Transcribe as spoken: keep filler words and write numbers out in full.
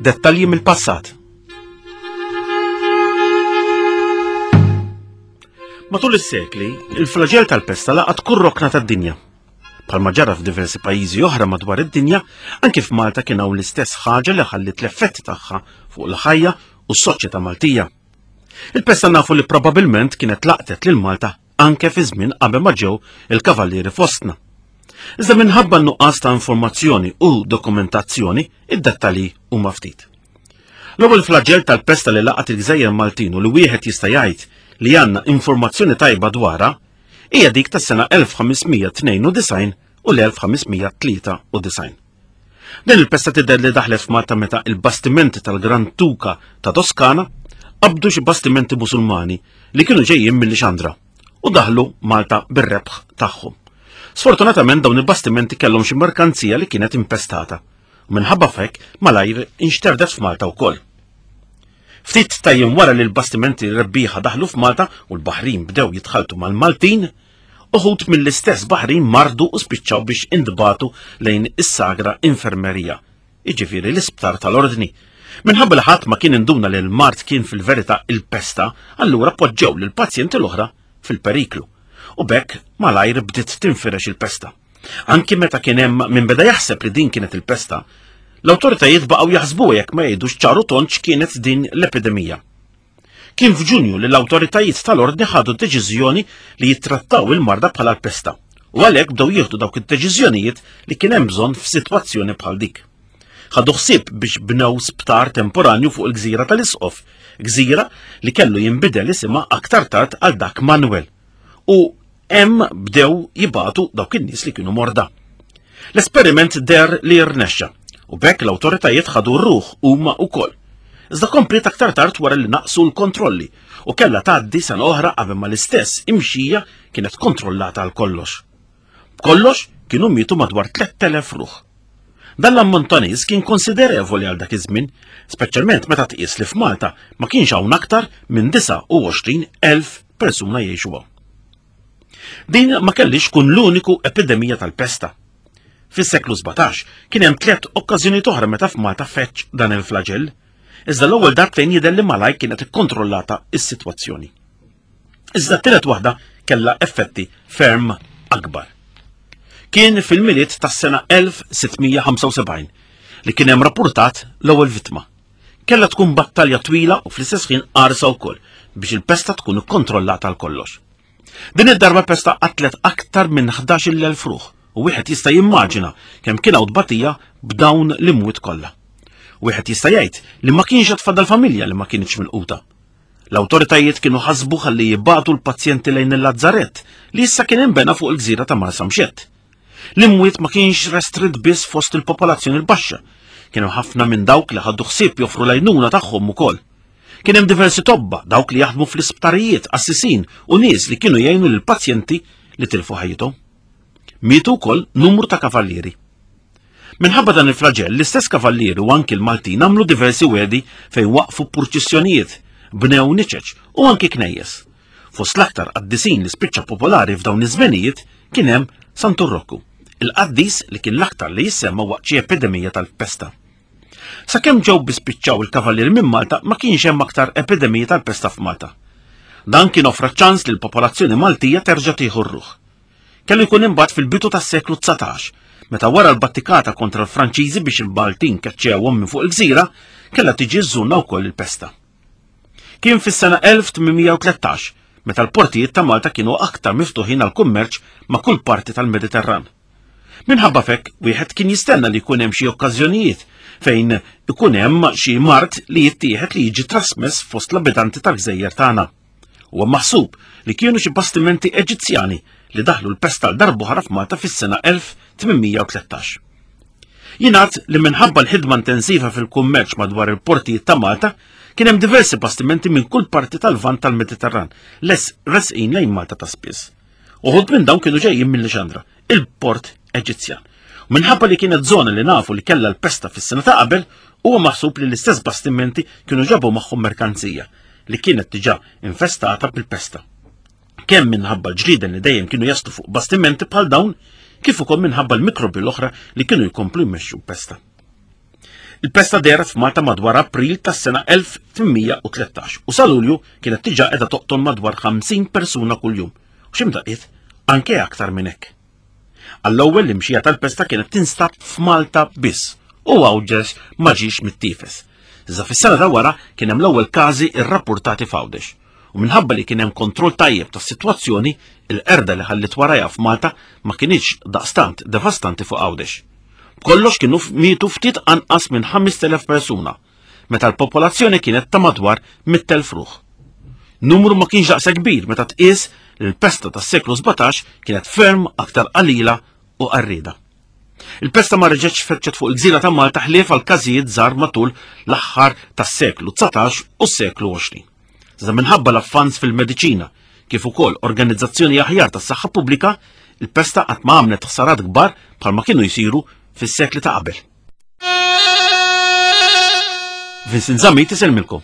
Dettalji mill-passat. Matul is-sekli, il-flagell tal-pesta laqat kull rokna tad-dinja. Bħalma ġara f'diversi pajjiżi oħra madwar id-dinja, anki f'Malta kien hawn l-istess ħaġa li ħallit l-effetti tagħha fuq il-ħajja u s-soċjetà Maltija. Il-pesta nafu li probabilment kienet laqtet lil Malta anke fi żmien qabel ma ġew il-kavallieri fostna. Iżda minħabba n-nuqqas ta' informazzjoni u dokumentazzjoni, id-dettalji huma ftit. L-ewwel flagell tal-pesta li laqat il-Gżejjer Maltin u li wieħed jista' jgħid li għandna informazzjoni tajba dwarha hija dik tas-sena elf ħames mija tnejn u disgħin u l-elf ħames mija tlieta u disgħin. Din il-pesta tidher li daħlet f'Malta meta il-bastimenti tal-Gran Duka ta' Toskana qabdu xi bastimenti Musulmani li kienu ġejjin mill-Lixandra u daħlu Malta bir-rebħ tagħhom. Sfortunatament dawn il-bastimenti kellhom xi merkanzija li kienet impestata u minħabba f'hekk malajr inxterdet f'Malta wkoll. Ftit ta' jiem wara li l-bastimenti rebbieħa daħlu f'Malta u l-Baħrin bdew jitħaltu mal-Maltin, uħud mill-istess Baħrin mardu u spiċċaw biex indbatu lejn is-Sagra Infermerija, jiġifieri l-isptar tal-Ordni. Minħabba li ħadd ma kien induna li l-mard kien fil-verità il-pesta, allura poġġew lill-pazjenti l-oħra fil-periklu. U b'hekk malajr bdiet tinfirex il-pesta. Anki meta kien hemm min beda jaħseb li din kienet il-pesta, l-awtoritajiet baqgħu jaħsbu jekk ma jgħidux ċaru tond x'kienet din l-epidemija. Kien f'Ġunju li l-awtoritajiet tal-Ordni ħadu deċiżjoni li jittrattaw il-marda bħala l-pesta u għalhekk bdew jieħdu dawk id-deċiżjonijiet li kien hemm bżonn f'sitwazzjoni bħal dik. Ħadu ħsieb biex bnew sptar temporanju fuq il-gżira tal-Isqof, gżira li kellu jinbidel isimha aktar tard għal dak Manuel. U hemm bdew jibatu dawk in-nies li kienu morda. L-esperiment der li rnexxa u b'hekk l-awtoritajiet ħadu r-ruħ huma wkoll. Iżda kompliet aktar tard wara li naqsu l-kontrolli u kellha tgħaddi sena oħra qabel ma l-istess imxija kienet kontrollata għal kollox. B'kollox kienu mietu madwar tlett elef ruħ. Dan l-ammont ta' nies kien konsiderevoli għal dak iż-żmien, speċjalment meta tqies li f'Malta ma kienx hawn aktar minn disgħa u għoxrin elf persuna jgħixu hawn. Din ma kellix tkun l-uniku epidemija tal-pesta. Fis-seklu sbatax kien hemm tliet okkażjonijiet oħra meta f'Malta feċ dan il-flagell, iżda l-ewwel darbtejn jidher li malaj kienet ikkontrollata s-sitwazzjoni. Iżda t-tielet waħda kellha effetti ferm akbar. Kien fil-Milied tas-sena elf sitt mija ħamsa u sebgħin li kien hemm rappurtat l-ewwel vittma. Kellha tkun battalja twila u fl-istess ħin qarsa wkoll biex il-pesta tkun ikkontrollata għal kollox. Din id-darba pesta qatlet aktar minn ħdax-il elf ruħ u wieħed jista' jimmaġina kemm kien hawn tbatija b'dawn l-imwiet kollha. Wieħed jista' jgħid li ma kienx qed tfadal familja li ma kienx milquta. L-awtoritajiet kienu ħasbu ħalli jibgħatu l-pazjenti lejn il-Lazzarett li issa kien inbena fuq il-gżira ta' Marsamxett. L-imwiet ma kienx restrit biss fost il-popolazzjoni l-baxxa. Kienu ħafna minn dawk li ħaddu ħsieb joffru l-għajnuna tagħhom ukoll. Kien hemm diversi tobba, dawk li jaħdmu fl-isptarijiet, assisin u nies li kienu jgħinu lill-pazjenti li tilfu ħajjithom. Mietu wkoll numru ta' kavallieri. Minħabba dan il-flagell, l-istess kavallieri u anki l-Maltin għamlu diversi wedi fejn waqfu purċissjonijiet, bnew niċeċ u anki knejjes. Fost l-aktar qaddisin li spiċċa popolari f'dawn iż-żmenijiet kien hemm Santu Rokku, il-qaddis li kien l-aktar li jissemma waqt xi epidemija tal-pesta. Sakemm ġew bispiċċaw il-kavallieri minn Malta ma kienx hemm aktar epidemija tal-pesta f'Malta. Dan kien offra ċans li l-popolazzjoni Maltija terġa' tieħu r-ruħ. Kellu jkun imbagħad fil-bidu tas-seklu dsatax, meta wara l-battikata kontra l-Franċiżi biex il-Maltin keċċewhom minn fuq il-gżira, kellha tiġi żżurna wkoll il-pesta. Kien fis-sena elf tmien mija u tlettax, meta l-portijiet ta' Malta kienu aktar miftuħin għall-kummerċ ma' kull parti tal-Mediterran. Minħabba f'hekk, wieħed kien jistenna li jkun hemm xi okkażjonijiet fejn ikun hemm xi mard li jittieħed li jiġi trasmess fost l-abitanti tal-gżejjer tagħna. Huwa maħsub li kienu xi bastimenti Eġizzjani li daħlu l-pesta għal darb'oħra f'Malta fis-sena elf tmien mija u tlettax. Jingħad li minħabba l-ħidma intensiva fil-kummerċ madwar il-portijiet ta' Malta kien hemm diversi bastimenti minn kull parti tal-Lvant tal-Mediterran les resqin lejn Malta ta' spiss. Uħud minn dawn kienu ġejjin minn Lixandra, il-port Eġizzjan. U minħabba li kienet żona li nafu li kellha l-pesta fis-sena ta' qabel, huwa maħsub li l-istess bastimenti kienu ġabu magħhom merkanzija li kienet diġà infestata bil-pesta. Kemm minħabba l-ġrieden li dejjem kienu jaslu fuq bastimenti bħal dawn, kif ukoll minħabba l-mikrobi l-oħra li kienu jkomplu jmexxu pesta. Il-pesta dehret f'Malta madwar April tas-sena elf tmien mija u tlettax u sa Lulju kienet diġà qiegħda toqtol madwar ħamsin persuna kuljum u x'imdaqqiet anke aktar minn hekk. Għall-ewwel, l-imxija tal-pesta kienet tinstab f'Malta biss u Għawdex ma ġiex mittiefes. Iżda fis-sena ta' wara kien hemm l-ewwel każi rrappurtati f'Għawdex. U minħabba li kien hemm kontroll tajjeb tas-sitwazzjoni, il-qerda li ħallit warajha f'Malta ma kinitx daqstant devastanti fuq Għawdex. B'kollox kienu mietu ftit anqas minn ħamest elef persuna, meta l-popolazzjoni kienet ta' madwar mitt elf ruħ. Numru ma kienx daqshekk kbir meta tqies li l-pesta tas-seklu sbatax kienet ferm aktar qalila u qarrida. Il-pesta ma reġgħetx feċċet fuq il-gżira ta' Malta ħlief għal każijiet żgħar matul l-aħħar tas-seklu dsatax u s-seklu għoxrin. Iżda minħabba l-avvanz fil-mediċina kif ukoll organizzazzjoni aħjar tas-saħħa pubblika, il-pesta qatt ma għamlet ħsarat kbar bħalma kienu jsiru fis-sekli ta' qabel. Vincent Zammit isellmilkom.